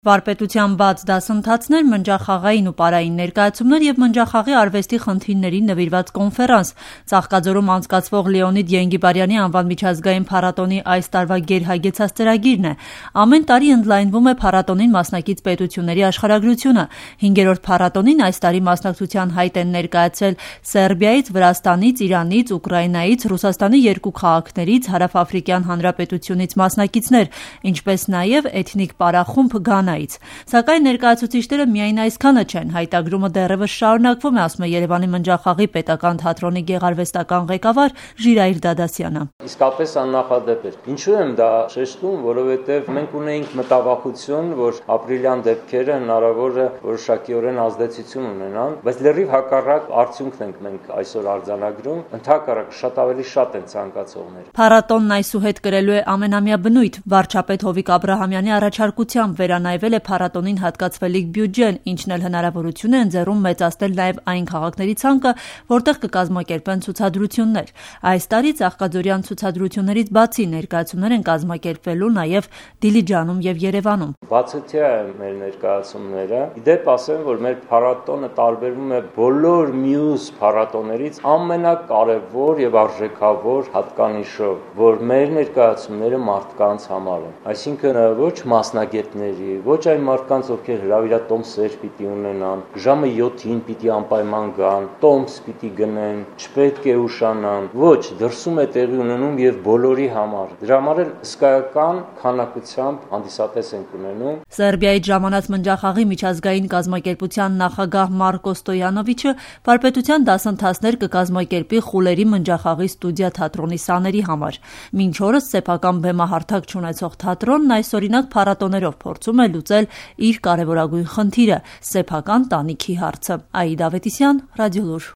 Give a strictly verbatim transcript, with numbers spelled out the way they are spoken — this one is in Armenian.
Վարպետության բաց դասընթացներ, մնջախաղային ու պարային ներկայացումներ և մնջախաղի արվեստի խնդիրներին նվիրված կոնֆերանս։ Ծաղկաձորում անցկացվող Լեոնիդ Ենգիբարյանի անվան միջազգային փառատոնի այս տարվա գերհագեցած ծրագիրն է։ Ամեն տարի ընդլայնվում է փառատոնին մասնակից պետությունների աշխարհագրությունը։ Հինգերորդ փառատոնին այս տարի մասնակցության հայտ են ներկայացրել Սերբիայից, Վրաստանից, Իրանից, Ուկրաինայից, Ռուսաստանի երկու քաղաքներից, Հարավաֆրիկյան Հանրապետությունից մասնակիցներ, ինչպես նաև էթնիկ պարախումբ Գանայից։ Սակայն ներկայացուցիչները միայն այսքանը չեն, հայտագրումը դեռևս շարունակվում է, ասում է Երևանի մնջախաղի պետական թատրոնի գեղարվեստական ղեկավար Ժիրայր Դադասյանը։ Իսկապես աննախադեպ էր։ Ինչու եմ դա շեշտում, որովհետև մենք ունեինք մտավախություն, որ ապրիլյան դեպքերը հնարավոր է որոշակիորեն ազդեցություն ունենան, բայց լրիվ հակառակ արդյունքն ենք մենք այսօր արձանագրում, ընդհակառակ շատ ավելի շատ են ցանկացողները։ Փառատոնն այսուհետ կրելու է ամենամյա բնույթ։ Վարչապետ Հովիկ Աբրահամյանի առաջարկությամբ վերանայվել է փառատոնին հատկացվելիք բյուջեն, ինչն էլ հնարավորություն է ընձեռում մեծացնել նաև այն քաղաքների ցանկը, որտեղ կկազմակերպեն ցուցադրություններ։ Այս տարի ծաղկաձորյան ցուցադրություններից բացի ներկայացումներ են կազմակերպվելու նաև Դիլիջանում եւ Երևանում։ Բացօթյա է մեր ներկայացումները։ Իդեպ ասեմ, որ մեր փառատոնը տարբերվում է բոլոր մյուս փառատոներից ամենակարևոր եւ արժեքավոր հատկանիշով, որ մեր ներկայացումները մարդկանց համար են։ Այսինքն ոչ մասնագետների, ոչ այն մարդկանց, ովքեր հրավիրատոմսեր պիտի ունենան, ժամը յոթին պիտի անպայման գան, տոմս պիտի գնեն, չպետք է ուշանան, ոչ, դրսում է տեղի ունենում եւ բոլորի համար։ Դրա համար էլ հսկայական քանակությամբ հանդիսատես ենք ունենում։ Սերբիայից ժամանած մնջախաղի միջազգային կազմակերպության նախագահ Մարկո Ստոյանովիչը վարպետության դասընթացներ կկազմակերպի Խուլերի մնջախաղի ստուդիա թատրոնի սաների համար։ Մինչ օրս սեփական բեմահարթակ չունեցող թատրոնն այսօրինակ փառատոներով փորձում է լուծել իր կարևորագույն խնդիրը՝ սեփական տանիքի հարցը։ Աիդա Ավետիսյան, Ռադիոլուր։